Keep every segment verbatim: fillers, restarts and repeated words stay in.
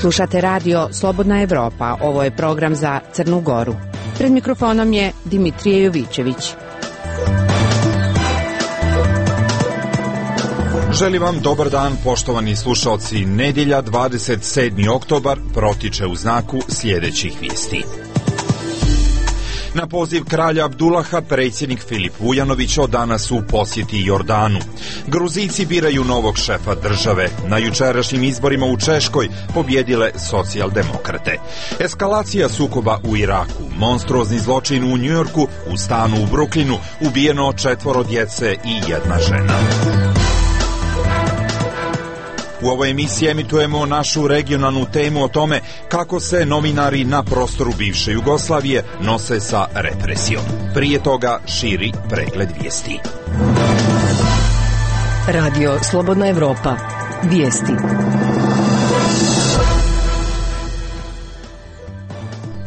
Slušate radio Slobodna Evropa. Ovo je program za Crnu Goru. Pred mikrofonom je Dimitrije Jovićević. Želim vam dobar dan, poštovani slušalci. Nedjelja, dvadeset sedmi oktobar, protiče u znaku sljedećih vijesti. Na poziv kralja Abdullaha, predsjednik Filip Vujanović od danas u posjeti Jordanu. Gruzijci biraju novog šefa države. Na jučerašnjim izborima u Češkoj pobjedile socijaldemokrate. Eskalacija sukoba u Iraku, monstruozni zločin u Njujorku, u stanu u Brooklynu, ubijeno četvoro djece i jedna žena. U ovoj emisiji emitujemo našu regionalnu temu o tome kako se novinari na prostoru bivše Jugoslavije nose sa represijom. Prije toga širi pregled vijesti. Radio Slobodna Evropa. Vijesti.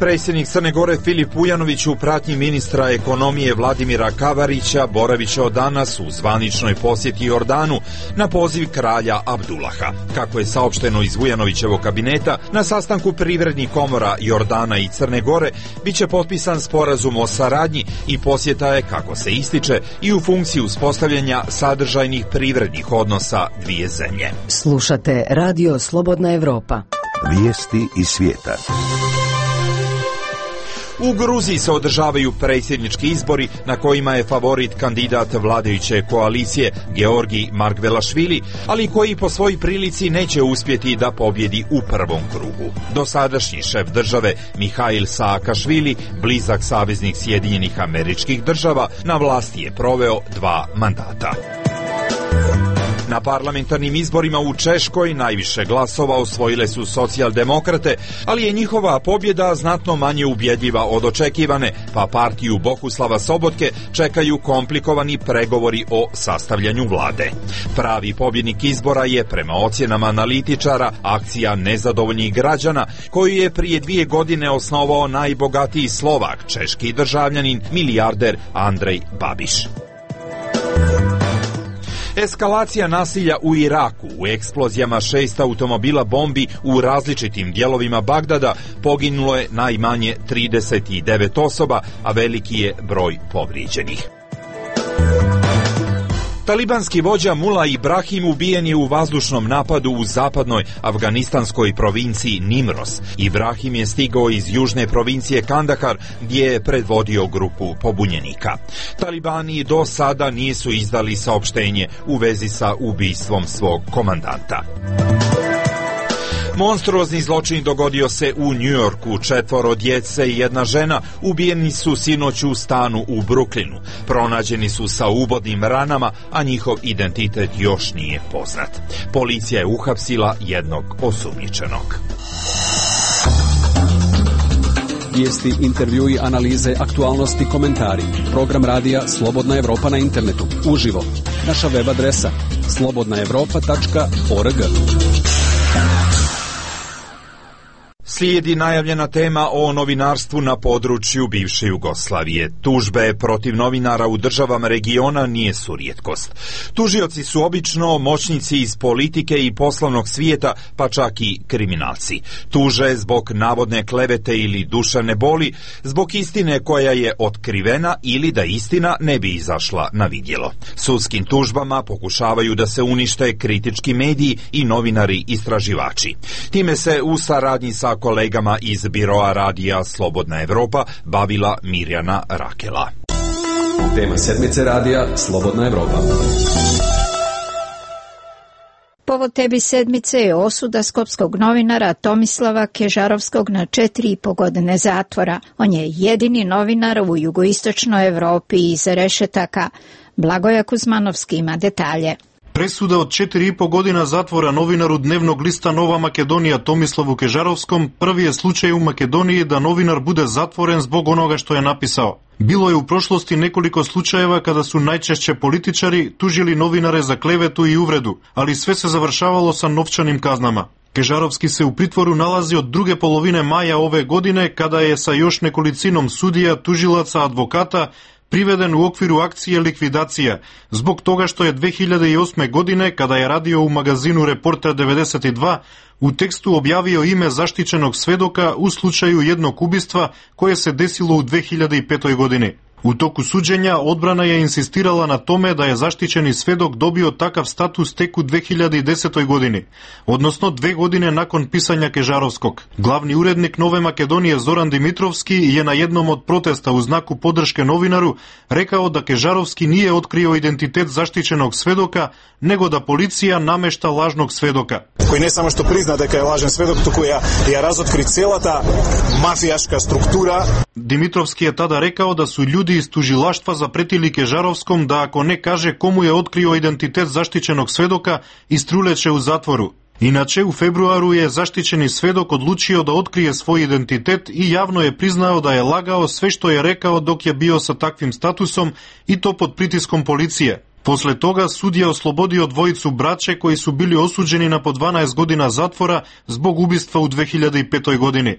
Predsjednik Crne Gore Filip Vujanović u pratnji ministra ekonomije Vladimira Kavarića boravit će od danas u zvaničnoj posjeti Jordanu na poziv kralja Abdullaha. Kako je saopšteno iz Vujanovićevog kabineta, na sastanku privrednih komora Jordana i Crne Gore bit će potpisan sporazum o saradnji i posjeta je, kako se ističe, i u funkciji uspostavljanja sadržajnih privrednih odnosa dvije zemlje. Slušate radio Slobodna Evropa. Vijesti iz svijeta. U Gruziji se održavaju predsjednički izbori na kojima je favorit kandidat vladajuće koalicije Georgij Margvelašvili, ali koji po svojoj prilici neće uspjeti da pobjedi u prvom krugu. Dosadašnji šef države Mihail Saakašvili, blizak saveznik Sjedinjenih Američkih Država, na vlasti je proveo dva mandata. Na parlamentarnim izborima u Češkoj najviše glasova osvojile su socijaldemokrate, ali je njihova pobjeda znatno manje ubjedljiva od očekivane, pa partiju Bohuslava Sobotke čekaju komplikovani pregovori o sastavljanju vlade. Pravi pobjednik izbora je, prema ocjenama analitičara, akcija nezadovoljnih građana, koju je prije dvije godine osnovao najbogatiji Slovak, češki državljanin, milijarder Andrej Babiš. Eskalacija nasilja u Iraku, u eksplozijama šest automobila bombi u različitim dijelovima Bagdada, poginulo je najmanje trideset devet osoba, a veliki je broj povrijeđenih. Talibanski vođa Mula Ibrahim ubijen je u vazdušnom napadu u zapadnoj afganistanskoj provinciji Nimros. Ibrahim je stigao iz južne provincije Kandahar, gdje je predvodio grupu pobunjenika. Talibani do sada nisu izdali saopštenje u vezi sa ubistvom svog komandanta. Monstruozni zločin dogodio se u Njujorku. Četvoro djece i jedna žena ubijeni su sinoć u stanu u Brooklynu. Pronađeni su sa ubodnim ranama, a njihov identitet još nije poznat. Policija je uhapsila jednog osumnjičenog. Vijesti, intervjui, analize, aktualnosti, komentari. Program radija Slobodna Evropa na internetu. Uživo. Naša web adresa slobodna evropa tačka org. Slijedi najavljena tema o novinarstvu na području bivše Jugoslavije. Tužbe protiv novinara u državama regiona nisu rijetkost. Tužioci su obično moćnici iz politike i poslovnog svijeta, pa čak i kriminalci. Tuže zbog navodne klevete ili duševne boli, zbog istine koja je otkrivena ili da istina ne bi izašla na vidjelo. Sudskim tužbama pokušavaju da se unište kritički mediji i novinari istraživači. Time se u saradnji sa kolegama iz biroa radija Slobodna Evropa bavila Mirjana Rakela. Tema sedmice radija Slobodna Evropa. Povod tebi sedmice je osuda skopskog novinara Tomislava Kežarovskog na četiri i po godine zatvora. On je jedini novinar u jugoistočnoj Evropi iz rešetaka. Blagoja Kuzmanovski ima detalje. Presuda od četiri i po godina zatvora novinaru dnevnog lista Nova Makedonija Tomislavu Kežarovskom prvi je slučaj u Makedoniji da novinar bude zatvoren zbog onoga što je napisao. Bilo je u prošlosti nekoliko slučajeva kada su najčešće političari tužili novinare za klevetu i uvredu, ali sve se završavalo sa novčanim kaznama. Kežarovski se u pritvoru nalazi od druge polovine maja ove godine, kada je sa još nekolicinom sudija, tužilaca, advokata приведен у оквиру акција ликвидација, због тога што е две илјади и осме године, када ја радио у магазину Репортер деветдесет и два, у тексту објавио име заштиченог сведока у случају едног убиства кое се десило у две илјади и пета години. У току суđења, одбрана ја инсистирала на томе да ја заштичени сведок добио такав статус тек у две илјади и десета години, односно две години након писања Кежаровскog. Главни уредник Нове Македонија Зоран Димитровски е на едном од протеста у знаку поддршке новинару рекао да Кежаровски nije открио идентитет заштиченог сведока, него да полиција намешта лажног сведока. Кој не само што призна дека е лажен сведок, туку ја, ја разоткри целата мафијашка структура. Димитровски е тада рекао да су људи из тужилаштва запретили Кежаровском да ако не каже кому е открио идентитет заштиченог сведока, иструлече у затвору. Иначе, у февруару е заштичени сведок одлучио да открие свој идентитет и јавно е признао да е лагао све што е рекао док ја био со таквим статусом и то под притиском полиција. После тога судија ослободио двојицу браće кои су били осуđени на по дванаесет година затвора због убиства у две илјади и пета години.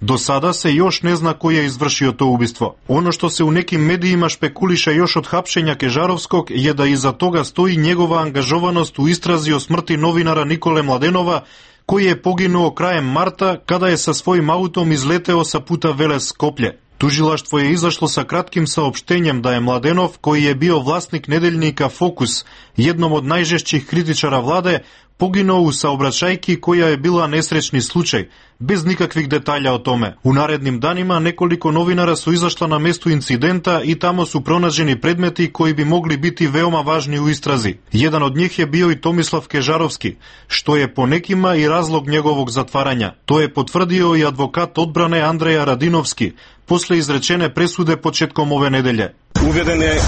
До сада се још не зна кој ја извршио тоа убиство. Оно што се у неки медиима шпекулиша још од хапшења Кежаровскog е да иза тога стои негова ангажованост у истрази о смрти новинара Николе Младенова, кој е погинуо краем марта када е со својим аутом излетео са пута Велес Скоплје. Тужилаштво е изашло са кратким саопштењем да е Младенов, кој е био власник неделника Фокус, едном од најжешćih критичара владе, погинуо у саобраќајки која е била несречни случај, без никаквих детаља о томе. У наредним данима неколико новинара су изашла на место инцидента и тамо су пронаđени предмети кои би могли бити веома важни у истрази. Jedan од njih je bio i Tomislav Kežarovski, што е по некима и разлог неговог затварања. Тоа е потврдио и адвокат одбране Андреја Радиновски, после изречене пресуде почетком ове неделе. Уведен е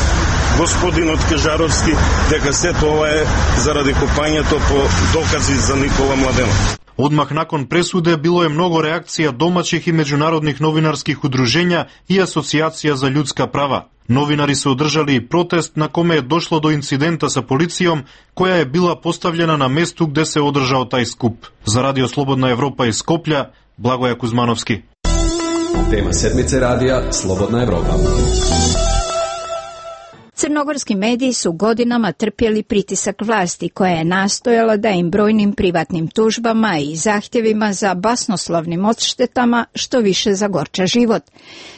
господинот Кежаровски дека сето ова е заради копањето по докази за Никола Младенов. Одмах након пресуде било е многу реакција домаќих и меѓународних новинарских удружења и Асоцијација за људска права. Новинари се одржали и протест на коме е дошло до инцидента со полицијом, која е била поставljena на место где се одржао тај скуп. За Радио Слободна Европа из Скопља, Благоја Кузмановски. Tema sedmice radija Slobodna Evropa. Crnogorski mediji su godinama trpjeli pritisak vlasti koja je nastojala da im brojnim privatnim tužbama i zahtjevima za basnoslovnim odštetama što više zagorča život.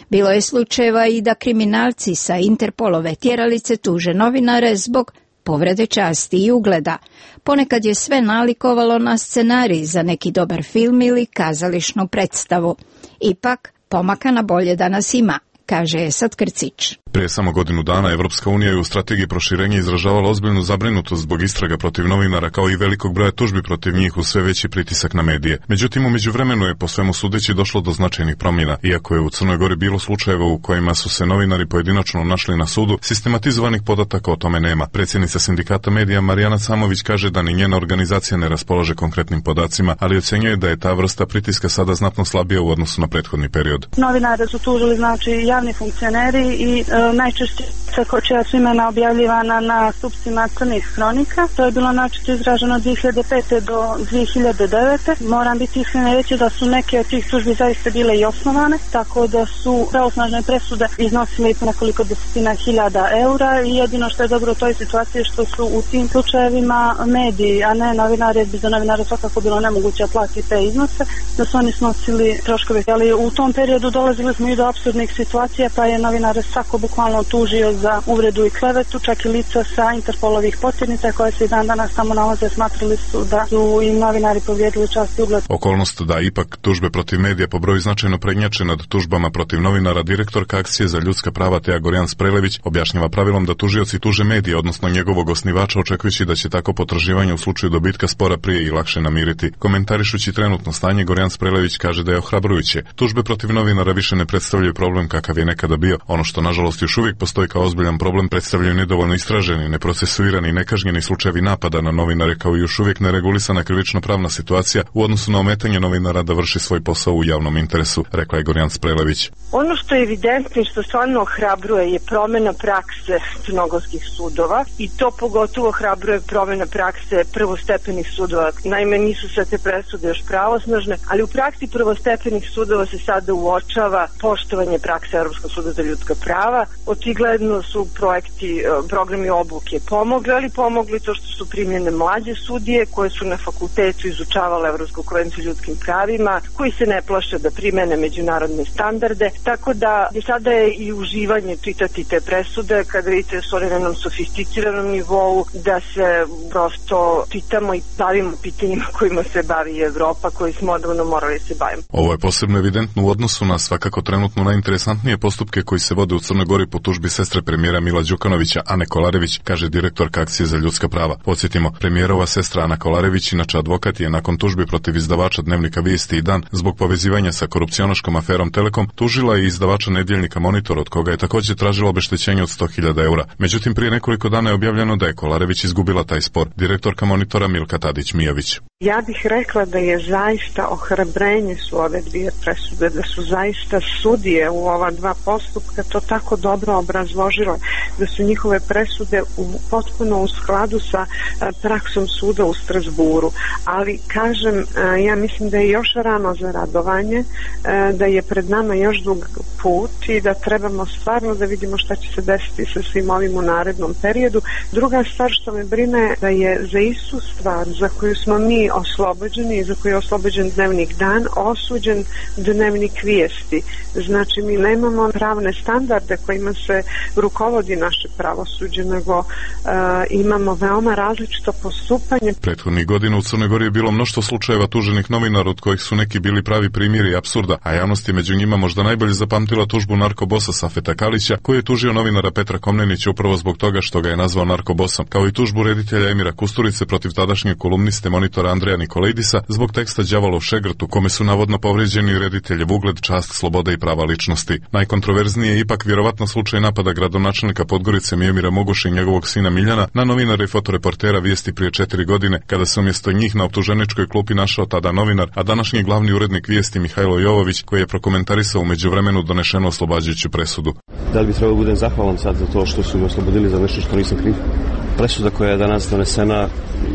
Bilo je slučajeva i da kriminalci sa Interpolove tjeralice tuže novinare zbog povrede časti i ugleda. Ponekad je sve nalikovalo na scenarij za neki dobar film ili kazališnu predstavu. Ipak, pomaka na bolje danas ima, kaže Esad Krcić. Prije samo godinu dana Evropska unija je u strategiji proširenja izražavala ozbiljnu zabrinutost zbog istraga protiv novinara kao i velikog broja tužbi protiv njih uz sve veći pritisak na medije. Međutim, u međuvremenu je po svemu sudeći došlo do značajnih promjena. Iako je u Crnoj Gori bilo slučajeva u kojima su se novinari pojedinačno našli na sudu, sistematizovanih podataka o tome nema. Predsjednica sindikata medija Marijana Samović kaže da ni njena organizacija ne raspolaže konkretnim podacima, ali ocjenjuje da je ta vrsta pritiska sada znatno slabija u odnosu na prethodni period. Novinare su tužili znači javni funkcioneri i e, najčešće čija su imena objavljivana na stupcima crnih hronika. To je bilo načito izraženo od dve hiljade pete do dve hiljade devete. Moram biti iskreno reći da su neke od tih tužbi zaista bile i osnovane, tako da su pravosnažne presude iznosile i po nekoliko desetina hiljada eura i jedino što je dobro u toj situaciji što su u tim slučajevima mediji, a ne novinari, jer bi za novinare svakako bilo nemoguće platiti te iznose, da su oni snosili troškove. Ali u tom periodu dolazili smo i do apsurdnih situacija, pa je novinare svako bukvalno tužio za uvredu i klevetu, čak i lica sa Interpolovih potjednica koje se i dan danas tamo nalaze, smatrali su da su i novinari povrijedili čast i ugled. Okolnost da ipak tužbe protiv medija po broju značajno prednjače nad tužbama protiv novinara, direktorka Akcije za ljudska prava Teja Gorjan Sprelević objašnjava pravilom da tužioci tuže medije, odnosno njegovog osnivača, očekujući da će tako potraživanje u slučaju dobitka spora prije i lakše namiriti. Komentarišući trenutno stanje, Gorjan Sprelević kaže da je ohrabrujuće. Tužbe protiv novinara više ne predstavljaju problem kakav je nekada bio. Ono što nažalost još uvijek postoji kao ozbiljan problem predstavljaju nedovoljno istraženi, neprocesuirani i nekažnjeni slučajevi napada na novinare, kao i još uvijek neregulisana krivično-pravna situacija u odnosu na ometanje novinara da vrši svoj posao u javnom interesu, rekla je Gorjan Sprelević. Ono što je evidentno i što stvarno ohrabruje je promjena prakse crnogorskih sudova i to pogotovo ohrabruje promjena prakse prvostepenih sudova. Naime, nisu sve te presude još pravosnažne, ali u praksi prvostepenih sudova se sada uočava poštovanje prakse Europskog suda za ljudska prava očigledno su projekti, programi obuke pomogli, ali pomogli to što su primljene mlađe sudije koje su na fakultetu izučavale Evropsku konvenciju o ljudskim pravima, koji se ne plaše da primene međunarodne standarde, tako da je sada je i uživanje čitati te presude kada vidite su one na jednom sofisticiranom nivou, da se prosto čitamo i bavimo pitanjima kojima se bavi Evropa, koji smo odavno morali se bavimo. Ovo je posebno evidentno u odnosu na svakako trenutno najinteresantnije postupke koji se vode u Crnoj Gori po tužbi sestre premijera Mila Đukanovića, Ane Kolarević, kaže direktorka Akcije za ljudska prava. Podsjetimo, premijerova sestra Ana Kolarević, inače advokat, je nakon tužbi protiv izdavača dnevnika Vijesti i Dan zbog povezivanja sa korupcionaškom aferom Telekom tužila i izdavača nedjeljnika Monitor, od koga je također tražila obeštećenje od sto hiljada eura. Međutim, prije nekoliko dana je objavljeno da je Kolarević izgubila taj spor. Direktorka Monitora Milka Tadić-Mijović. Ja bih rekla da je zaista ohrabrenje su ove dvije presude, da su zaista sudije u ova dva postupka to tako dobro obrazložile, da su njihove presude u, potpuno u skladu sa a, praksom suda u Strasburu. Ali, kažem, a, ja mislim da je još rano za radovanje, a, da je pred nama još dug put i da trebamo stvarno da vidimo šta će se desiti sa svim ovim u narednom periodu. Druga stvar što me brine da je za istu stvar za koju smo mi oslobođeni i za koju je oslobođen dnevnik Dan, osuđen dnevnik Vijesti. Znači, mi nemamo pravne standarde kojima se rukovodi naše pravosuđe, nego uh, imamo veoma različito postupanje. Prethodnih godina u Crnoj Gori je bilo mnoštvo slučajeva tuženih novinara, od kojih su neki bili pravi primjeri apsurda, a javnost je među njima možda najbolje zapamtila tužbu narkobosa Safeta Kalića, koji je tužio novinara Petra Komnenića upravo zbog toga što ga je nazvao narkobosom, kao i tužbu reditelja Emira Kusturice protiv tadašnjeg kolumniste Monitora Andreja Nikolaidisa zbog teksta Đavolov šegrt u kome su navodno povrijeđeni rediteljev ugled, čast, sloboda i prava ličnosti. Najkontroverznije je ipak vjerovatno slučaj napada gradonačelnika Podgorice Mijomira Moguša i njegovog sina Miljana na novinara i fotoreportera Vijesti prije četiri godine, kada se umjesto njih na optuženičkoj klupi našao tada novinar, a današnji glavni urednik Vijesti Mihajlo Jovović, koji je prokomentarisao u međuvremenu donešenu oslobađajuću presudu. Da li bi trebalo budem zahvalan sad za to što su me oslobodili za nešto što nisam kriv? Presuda koja je danas donesena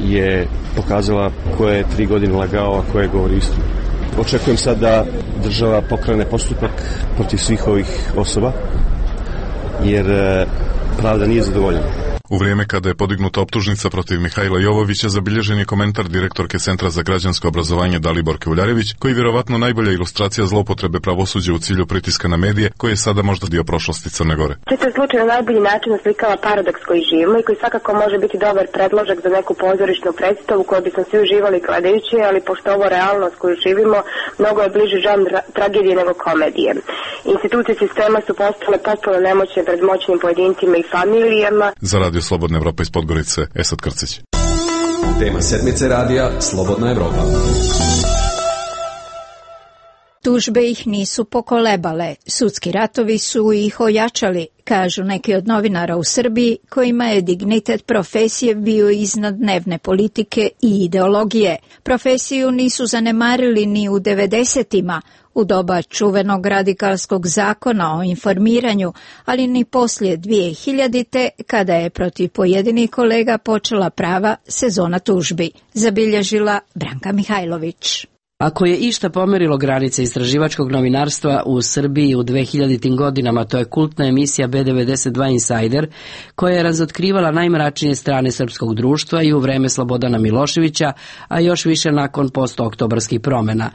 je pokazala ko je tri godine lagao, a ko je govori istinu. Očekujem sad da država pokrene postupak protiv svih ovih osoba, jer pravda nije zadovoljena. U vrijeme kada je podignuta optužnica protiv Mihajla Jovovića, zabilježen je komentar direktorke Centra za građansko obrazovanje Daliborke Uljarević, koji vjerovatno najbolja ilustracija zloupotrebe pravosuđa u cilju pritiska na medije, koji je sada možda dio prošlosti Crne Gore. Često slučaj na najbolji način oslikava paradoks koji živimo i koji svakako može biti dobar predložak za neku pozorišnu predstavu koju bismo svi uživali gledajući, ali pošto ovo realnost koju živimo mnogo je bliže žanr tragedije nego komedije. Institucije sistema su postale potpuno nemoćne pred moćnim pojedincima i familijama. Za Radio Slobodna Evropa iz Podgorice, Esad Krcić. Tema sedmice radija Slobodna Evropa. Tužbe ih nisu pokolebale, sudski ratovi su ih ojačali, kažu neki od novinara u Srbiji kojima je dignitet profesije bio iznad dnevne politike i ideologije. Profesiju nisu zanemarili ni u devedesetima, u doba čuvenog radikalskog zakona o informiranju, ali ni poslije dvije hiljadite kada je protiv pojedinih kolega počela prava sezona tužbi, zabilježila Branka Mihajlović. Ako je išta pomerilo granice istraživačkog novinarstva u Srbiji u dvehiljaditim godinama, to je kultna emisija B devedeset dva Insider, koja je razotkrivala najmračnije strane srpskog društva i u vreme Slobodana Miloševića, a još više nakon postooktobarskih promjena.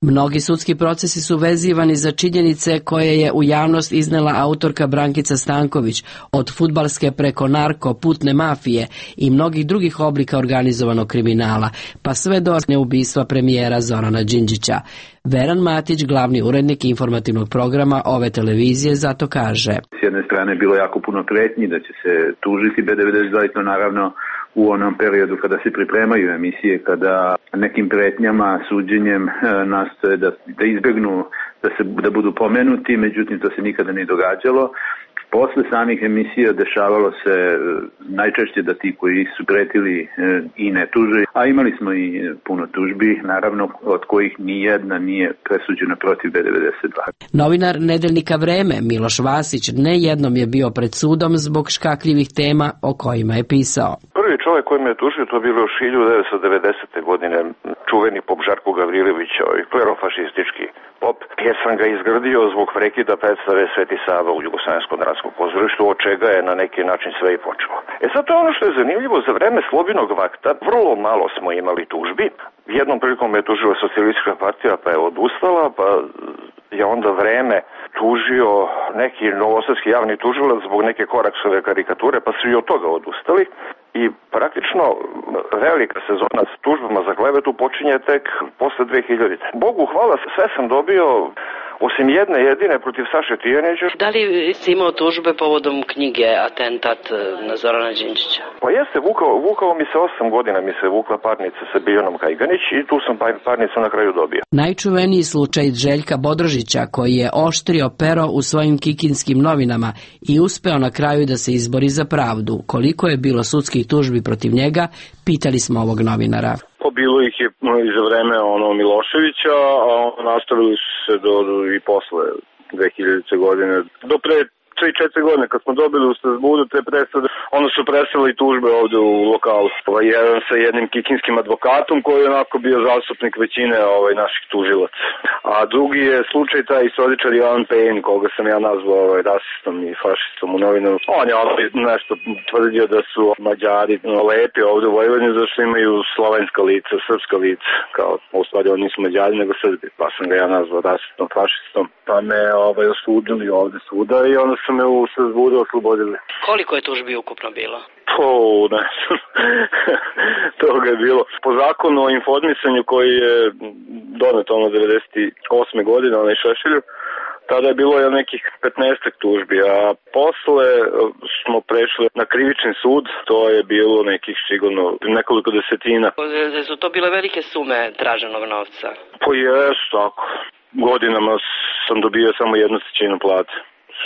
Mnogi sudski procesi su vezivani za činjenice koje je u javnost iznela autorka Brankica Stanković, od fudbalske preko narko, putne mafije i mnogih drugih oblika organizovanog kriminala, pa sve do ubistva premijera Zorana Đinđića. Veran Matić, glavni urednik informativnog programa ove televizije, zato kaže: S jedne strane bilo jako puno pretnji da će se tužiti B devedeset dva, i to naravno u onom periodu kada se pripremaju emisije, kada nekim pretnjama, suđenjem nastoje da, da izbjegnu da, se, da budu pomenuti, međutim to se nikada nije događalo. Posle samih emisija dešavalo se najčešće da ti koji su pretili i ne tuže, a imali smo i puno tužbi, naravno od kojih ni jedna nije presuđena protiv B devedeset dva. Novinar nedeljnika Vreme Miloš Vasić ne jednom je bio pred sudom zbog škakljivih tema o kojima je pisao. Prvi čovjek koji me je tužio to bilo još hiljadu devetsto devedesete. godine, čuveni pop Žarko Gavrilović, ovaj klerofašistički pop, jer sam ga izgradio zbog prekida predstave Sveti Sava u Jugoslavenskom dranskom pozorištu, od čega je na neki način sve i počelo. E sad to je ono što je zanimljivo, za vreme Slobinog vakta vrlo malo smo imali tužbi. Jednom prilikom je tužila socijalistička partija, pa je odustala, pa je onda vreme tužio neki novosadski javni tužilac zbog neke Koraksove karikature, pa su i od toga odustali. I praktično velika sezona s tužbama za klevetu počinje tek posle dve hiljadite. Bogu hvala, sve sam dobio, osim jedne jedine protiv Saše Tijanića. Da li si imao tužbe povodom knjige Atentat na Zorana Đinđića? Pa jeste, vukao, vukao mi se osam godina, mi se vukla parnica sa Biljanom Kajganić i tu sam parnicu na kraju dobio. Najčuveniji slučaj Željka Bodrožića, koji je oštrio pero u svojim kikinskim novinama i uspeo na kraju da se izbori za pravdu. Koliko je bilo sudskih tužbi protiv njega, pitali smo ovog novinara. Pa bilo ih je i za vreme ono Miloševića, a nastavili su se do, do i posle dve hiljadite godine. Do pre tri četiri godine kad smo dobili u Strasburu te presude, onda su preseli tužbe ovde u lokalu. Ovaj, jedan sa jednim kikinskim advokatom koji je onako bio zastupnik većine ovaj, naših tužilaca. A drugi je slučaj taj istoričar Ivan Pejn, koga sam ja nazvao ovaj, rasistom i fašistom u novinu. On je ovaj, nešto tvrdio da su Mađari no, lepi ovde u Vojvodini zašto imaju slovenska lica, srpska lica. Kao, u stvari oni nisu Mađari nego Srbi, pa sam ga ja nazvao rasistom, fašistom. Pa me ovaj, osudili ovde suda i onda su me u Strasburu oslobodili. Koliko je tužbi ukupno bilo? Po, ne znam. Toga je bilo. Po zakonu o informisanju koji je donet ono devedeset osme godine, onaj Šešelju, tada je bilo je nekih petnaestak tužbi, a posle smo prešli na krivični sud, to je bilo nekih sigurno nekoliko desetina. Su to bile velike sume traženog novca? Po jesu, tako. Godinama sam dobio samo jednu trećinu plate.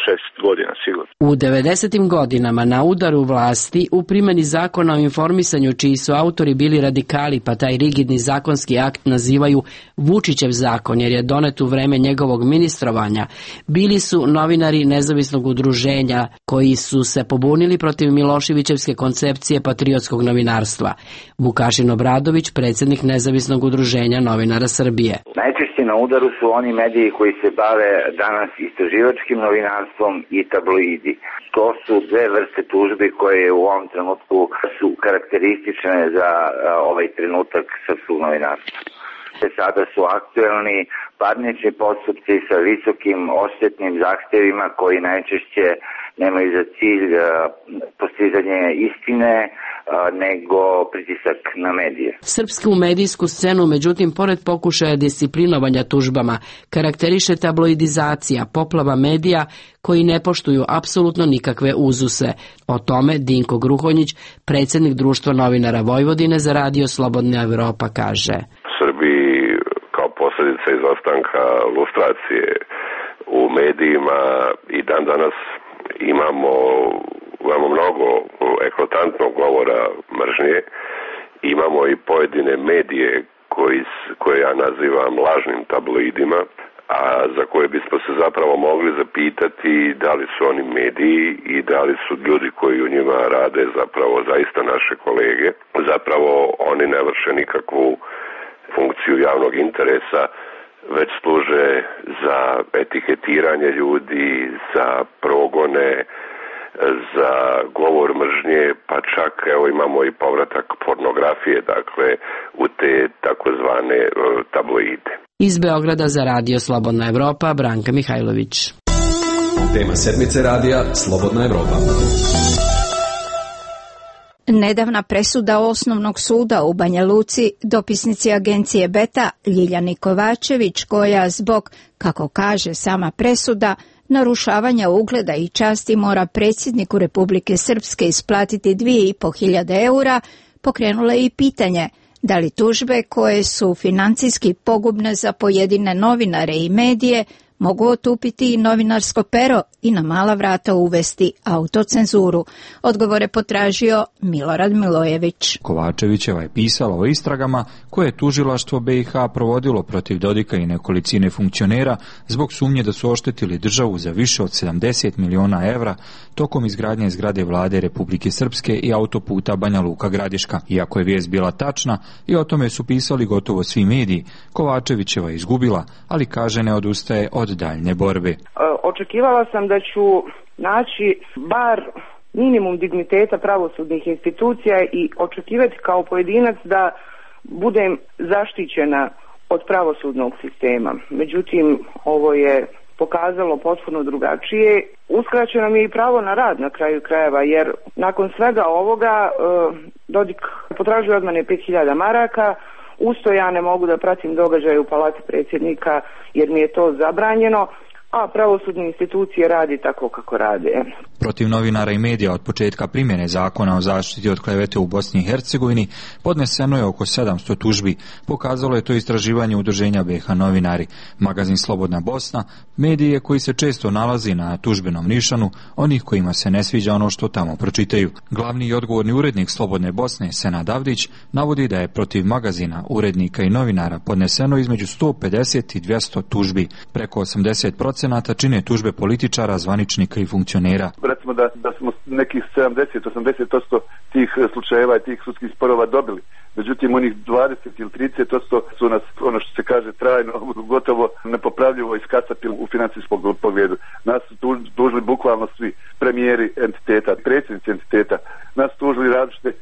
šest godina sigurno. U devedesetim godinama na udaru vlasti u primjeni zakona o informisanju čiji su autori bili radikali pa taj rigidni zakonski akt nazivaju Vučićev zakon jer je donet u vreme njegovog ministrovanja, bili su novinari nezavisnog udruženja koji su se pobunili protiv Miloševićevske koncepcije patriotskog novinarstva. Vukašin Obradović, predsjednik nezavisnog udruženja novinara Srbije. Najčešće na udaru su oni mediji koji se bave danas istraživačkim novinarstvom i tabloidi. To su dve vrste tužbi koje u ovom trenutku su karakteristične za ovaj trenutak srpskog novinarstva. Sada su aktuelni parnični postupci sa visokim odštetnim zahtevima koji najčešće nemaju za cilj postizanje istine, nego pritisak na medije. Srpsku medijsku scenu, međutim, pored pokušaja disciplinovanja tužbama, karakteriše tabloidizacija, poplava medija koji ne poštuju apsolutno nikakve uzuse. O tome Dinko Gruhonjić, predsjednik Društva novinara Vojvodine za radio Slobodna Evropa, kaže. Srbiji kao posljedica izostanka lustracije u medijima i dan danas imamo, imamo mnogo eklatantnog govora mržnje, imamo i pojedine medije koji, koje ja nazivam lažnim tabloidima, a za koje bismo se zapravo mogli zapitati da li su oni mediji i da li su ljudi koji u njima rade zapravo zaista naše kolege. Zapravo oni ne vrše nikakvu funkciju javnog interesa, već služe za etiketiranje ljudi, za progone, za govor mržnje, pa čak evo imamo i povratak pornografije, dakle u te takozvane tabloide. Iz Beograda za radio Slobodna Evropa, Branka Mihajlović. Tema sedmice radija Slobodna Evropa. Nedavna presuda Osnovnog suda u Banja Luci dopisnici agencije Beta Ljiljani Kovačević, koja zbog, kako kaže sama presuda, narušavanja ugleda i časti mora predsjedniku Republike Srpske isplatiti dvije i po hiljade eura, pokrenula je i pitanje da li tužbe koje su financijski pogubne za pojedine novinare i medije mogu otupiti i novinarsko pero i na mala vrata uvesti autocenzuru. Odgovore potražio Milorad Milojević. Kovačevićeva je pisala o istragama koje je tužilaštvo B i H provodilo protiv Dodika i nekolicine funkcionera zbog sumnje da su oštetili državu za više od sedamdeset miliona evra tokom izgradnje zgrade vlade Republike Srpske i autoputa Banja Luka-Gradiška. Iako je vijest bila tačna i o tome su pisali gotovo svi mediji, Kovačevićeva je izgubila, ali kaže ne odustaje od daljne borbe. Očekivala sam da ću naći bar minimum digniteta pravosudnih institucija i očekivati kao pojedinac da budem zaštićena od pravosudnog sistema. Međutim, ovo je pokazalo potpuno drugačije. Uskraćeno mi je i pravo na rad na kraju krajeva, jer nakon svega ovoga Dodik potražuje od mene pet hiljada maraka. Usto ja ne mogu da pratim događaje u palati predsjednika jer mi je to zabranjeno, a pravosudne institucije radi tako kako rade. Protiv novinara i medija od početka primjene zakona o zaštiti od klevete u Bosni i Hercegovini podneseno je oko sedamsto tužbi. Pokazalo je to istraživanje udruženja B H Novinari. Magazin Slobodna Bosna, medije koji se često nalazi na tužbenom nišanu, onih kojima se ne sviđa ono što tamo pročitaju. Glavni i odgovorni urednik Slobodne Bosne, Senad Avdić, navodi da je protiv magazina, urednika i novinara podneseno između sto pedeset i dvjesto tužbi. Preko osamdeset posto čine tužbe političara, zvaničnika i funkcionera. Recimo da, da smo nekih sedamdeset do osamdeset posto tih slučajeva i tih sudskih sporova dobili. Međutim, onih dvadeset ili trideset posto su nas, ono što se kaže, trajno, gotovo nepopravljivo iskacapili u financijskom pogledu. Nas su tužili bukvalno svi premijeri entiteta, predsjednici entiteta. Nas tužili različite,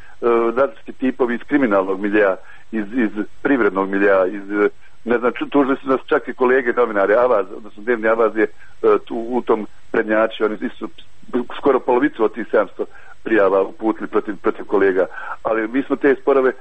različiti tipovi iz kriminalnog milija, iz, iz privrednog milija, iz ne znam, tužili su nas čak i kolege novinari, Avaz, odnosno Dnevni Avaz je tu, u tom prednjači, oni su skoro polovicu od tih sedamsto prijava uputili protiv, protiv kolega, ali mi smo te sporove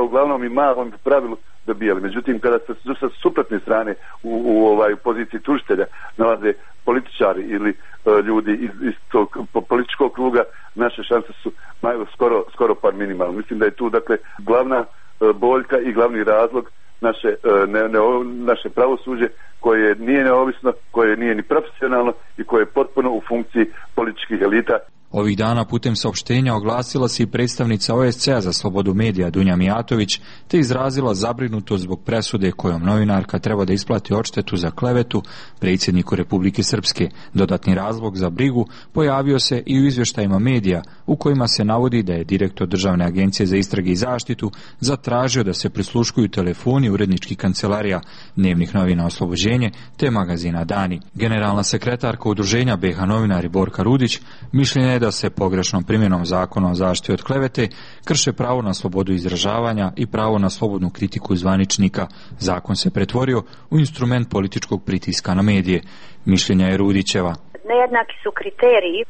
uglavnom i malom pravilu dobijali. Međutim, kada se sa suprotne strane u, u ovaj poziciji tužitelja nalaze političari ili uh, ljudi iz, iz tog političkog kruga, naše šanse su maju skoro, skoro par minimalne. Mislim da je tu, dakle, glavna uh, boljka i glavni razlog naše, ne, ne, naše pravosuđe koje nije neovisno, koje nije ni profesionalno i koje je potpuno u funkciji političkih elita. Ovih dana putem saopštenja oglasila se i predstavnica O S C-a za slobodu medija Dunja Mijatović, te izrazila zabrinutost zbog presude kojom novinarka treba da isplati odštetu za klevetu predsjedniku Republike Srpske. Dodatni razlog za brigu pojavio se i u izvještajima medija u kojima se navodi da je direktor Državne agencije za istrage i zaštitu zatražio da se prisluškuju telefoni uredničkih kancelarija Dnevnih novina Oslobođenje te magazina Dani. Generalna sekretarka udruženja B H Novinari Borka Rudić mišljenja je da se pogrešnom primjenom zakona o zaštiti od klevete krše pravo na slobodu izražavanja i pravo na slobodnu kritiku zvaničnika. Zakon se pretvorio u instrument političkog pritiska na medije. Mišljenja je Rudićeva. Nejednaki su kriteriji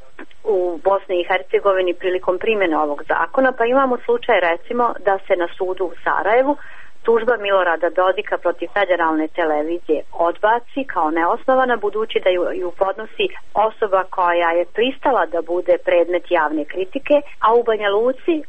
u Bosni i Hercegovini prilikom primjene ovog zakona, pa imamo slučaj recimo da se na sudu u Sarajevu tužba Milorada Dodika protiv federalne televizije odbaci kao neosnovana, budući da ju, ju podnosi osoba koja je pristala da bude predmet javne kritike, a u Banja Luci e,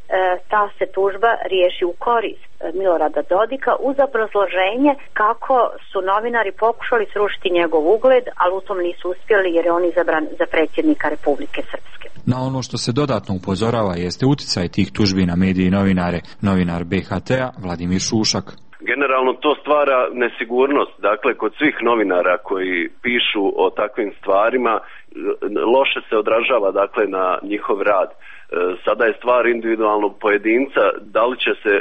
ta se tužba riješi u korist Milorada Dodika uz obrazloženje kako su novinari pokušali srušiti njegov ugled, ali u tom nisu uspjeli jer je on izabran za predsjednika Republike Srpske. Na ono što se dodatno upozorava jeste uticaj tih tužbi na medije i novinare. Novinar B H T-a Vladimir Šušak. Generalno to stvara nesigurnost, dakle kod svih novinara koji pišu o takvim stvarima, loše se odražava dakle na njihov rad. Sada je stvar individualnog pojedinca, da li će se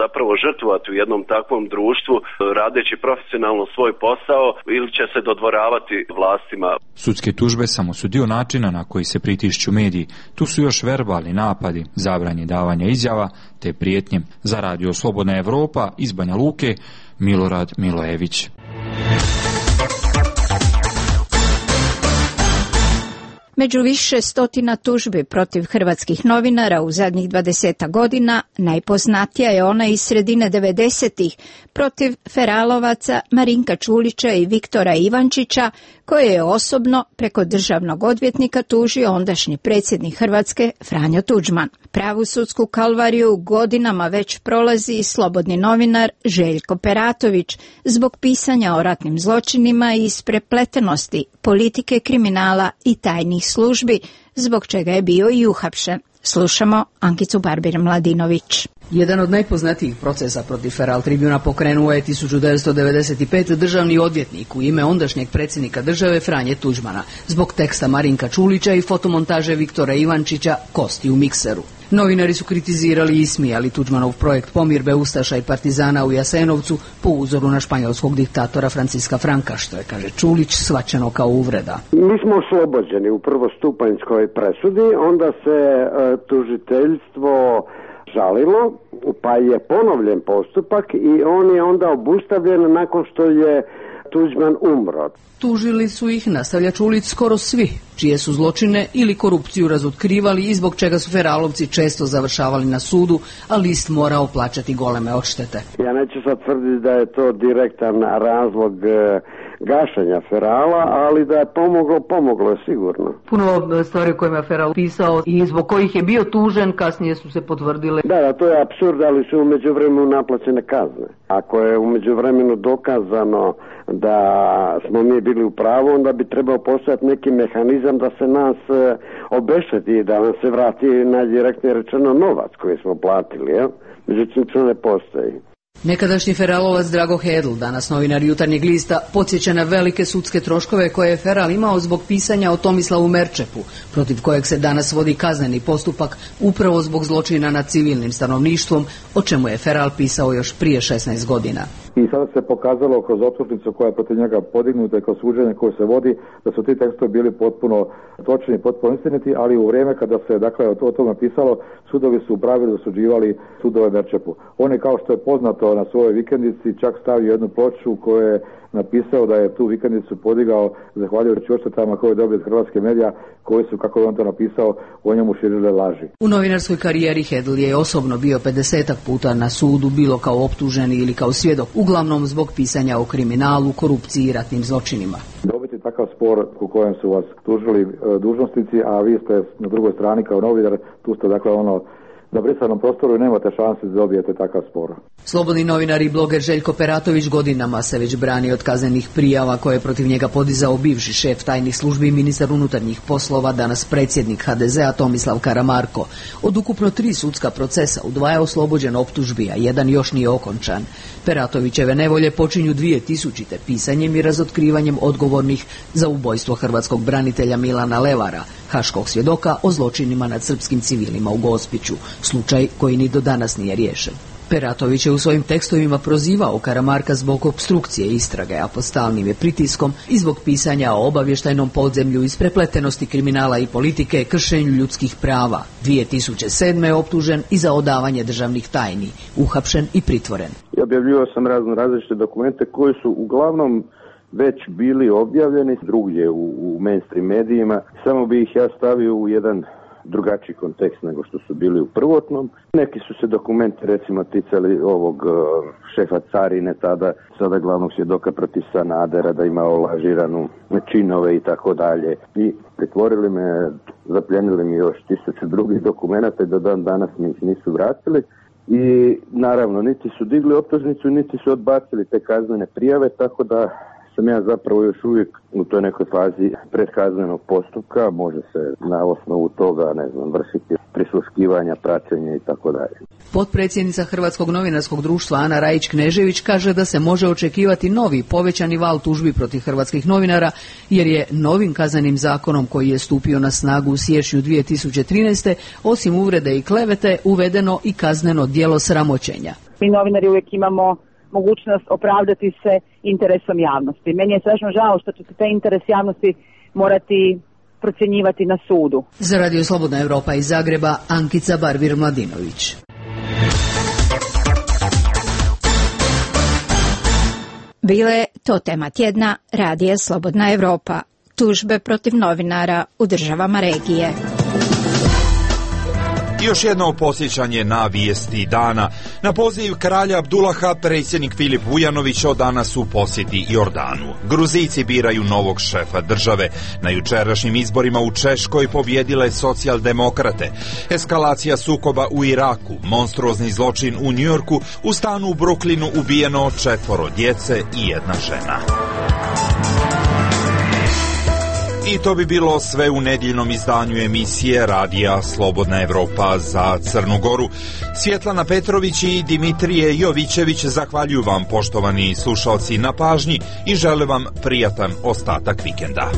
zapravo žrtvovati u jednom takvom društvu radeći profesionalno svoj posao ili će se dodvoravati vlastima. Sudske tužbe samo su dio načina na koji se pritišću mediji. Tu su još verbalni napadi, zabranje davanja izjava te prijetnje. Za radio Slobodna Evropa iz Banja Luke, Milorad Milojević. Među više stotina tužbi protiv hrvatskih novinara u zadnjih dvadeset godina najpoznatija je ona iz sredine devedesetih protiv feralovaca Marinka Čulića i Viktora Ivančića, koje je osobno preko državnog odvjetnika tužio ondašnji predsjednik Hrvatske Franjo Tuđman. Pravu sudsku kalvariju godinama već prolazi i slobodni novinar Željko Peratović zbog pisanja o ratnim zločinima i isprepletenosti politike, kriminala i tajnih službi, zbog čega je bio i uhapšen. Slušamo Ankicu Barbir-Mladinović. Jedan od najpoznatijih procesa protiv Feral Tribuna pokrenuo je tisuću devetsto devedeset pete. državni odvjetnik u ime ondašnjeg predsjednika države Franje Tuđmana zbog teksta Marinka Čulića i fotomontaže Viktora Ivančića Kosti u mikseru. Novinari su kritizirali i ismijali Tuđmanov projekt pomirbe ustaša i partizana u Jasenovcu po uzoru na španjolskog diktatora Franciska Franka, što je, kaže Čulić, shvaćeno kao uvreda. Mi smo oslobođeni u prvostupanjskoj presudi, onda se e, tužiteljstvo žalilo, pa je ponovljen postupak i on je onda obustavljen nakon što je Tuđman umro. Tužili su ih, nastavlja Čulić, skoro svi, čije su zločine ili korupciju razotkrivali i zbog čega su feralovci često završavali na sudu, a list morao plaćati goleme odštete. Ja neću sad tvrditi da je to direktan razlog e, gašenja ferala, ali da je pomoglo, pomoglo je sigurno. Puno stvari o kojima je feral pisao i zbog kojih je bio tužen, kasnije su se potvrdile. Da, da, to je apsurd, ali su u međuvremenu naplaćene kazne. Ako je u međuvremenu dokazano da smo mi bili u pravu, onda bi trebao postojati neki mehanizam da se nas e, obešteti, da nam se vrati najdirektnije rečeno novac koji smo platili, jel? Međutim, to ne postoji. Nekadašnji feralovac Drago Hedl, danas novinar Jutarnjeg lista, podsjeća na velike sudske troškove koje je feral imao zbog pisanja o Tomislavu Merčepu, protiv kojeg se danas vodi kazneni postupak upravo zbog zločina nad civilnim stanovništvom, o čemu je feral pisao još prije šesnaest godina. I sada se pokazalo kroz optužnicu koja je protiv njega podignuta i kroz suđenje koje se vodi, da su ti tekstovi bili potpuno točni, potpuno istiniti, ali u vrijeme kada se dakle o tome pisalo, sudovi su u pravilu osuđivali sudove Merčepu. On je, kao što je poznato, na svojoj vikendici čak stavio jednu ploču koju je napisao da je tu vikendicu podigao zahvaljujući odštetama koje je dobio od hrvatske medija, koji su, kako je on to napisao, o njemu širile laži. U novinarskoj karijeri Hedl je osobno bio pedesetak puta na sudu, bilo kao optuženi ili kao svjedok, uglavnom zbog pisanja o kriminalu, korupciji i ratnim zločinima. Dobiti takav spor u kojem su vas tužili dužnosnici, a vi ste na drugoj strani kao novinar, tu ste dakle ono na brisanom prostoru i nemate šanse da dobijete takav spor. Slobodni novinar i bloger Željko Peratović godinama se već brani od kaznenih prijava koje je protiv njega podizao bivši šef tajnih službi i ministar unutarnjih poslova, danas predsjednik ha de zea Tomislav Karamarko. Od ukupno tri sudska procesa u dva je oslobođen optužbi, a jedan još nije okončan. Peratovićeve nevolje počinju dvije tisućite pisanjem i razotkrivanjem odgovornih za ubojstvo hrvatskog branitelja Milana Levara, haškog svjedoka o zločinima nad srpskim civilima u Gospiću, slučaj koji ni do danas nije riješen. Peratović je u svojim tekstovima prozivao Karamarka zbog opstrukcije istrage, a pod stalnim je pritiskom i zbog pisanja o obavještajnom podzemlju, isprepletenosti kriminala i politike, kršenju ljudskih prava. dvije tisuće sedme je optužen i za odavanje državnih tajni, uhapšen i pritvoren. Objavljivao sam razno različite dokumente koji su uglavnom već bili objavljeni drugdje u, u mainstream medijima, samo bi ih ja stavio u jedan drugačiji kontekst nego što su bili u prvotnom. Neki su se dokumenti recimo ticali ovog uh, šefa carine tada, sada glavnog svjedoka protiv Sanadera, da ima olažiranu činove i tako dalje. I pretvorili me, zapljenili mi još tisuću drugih dokumenata i do dan danas mi ih nisu vratili. I naravno, niti su digli optužnicu, niti su odbacili te kaznene prijave, tako da sam ja zapravo još uvijek u toj nekoj fazi predkaznenog postupka, može se na osnovu toga, ne znam, vršiti prisluškivanja, praćenja i tako dalje. Potpredsjednica Hrvatskog novinarskog društva Ana Rajić-Knežević kaže da se može očekivati novi povećani val tužbi protiv hrvatskih novinara, jer je novim kaznenim zakonom koji je stupio na snagu u siječnju dvije tisuće trinaeste. osim uvrede i klevete uvedeno i kazneno djelo sramoćenja. Mi novinari uvijek imamo mogućnost opravdati se interesom javnosti. Meni je strašno žao što će se taj interes javnosti morati procjenjivati na sudu. Za Radio Slobodna Evropa iz Zagreba, Ankica Barbir-Mladinović. Bile to tema tjedna Radija Slobodna Evropa. tužbe protiv novinara u državama regije. Još jedno posjećanje na vijesti dana. Na poziv kralja Abdullaha, predsjednik Filip Vujanović od danas u posjeti Jordanu. Gruzijci biraju novog šefa države. Na jučerašnjim izborima u Češkoj pobjedile socijaldemokrate. Eskalacija sukoba u Iraku, monstruozni zločin u Njujorku, u stanu u Brooklynu ubijeno četvoro djece i jedna žena. I to bi bilo sve u nedjeljnom izdanju emisije Radija Slobodna Evropa za Crnu Goru. Svjetlana Petrović i Dimitrije Jovićević zahvaljuju vam, poštovani slušalci, na pažnji i žele vam prijatan ostatak vikenda.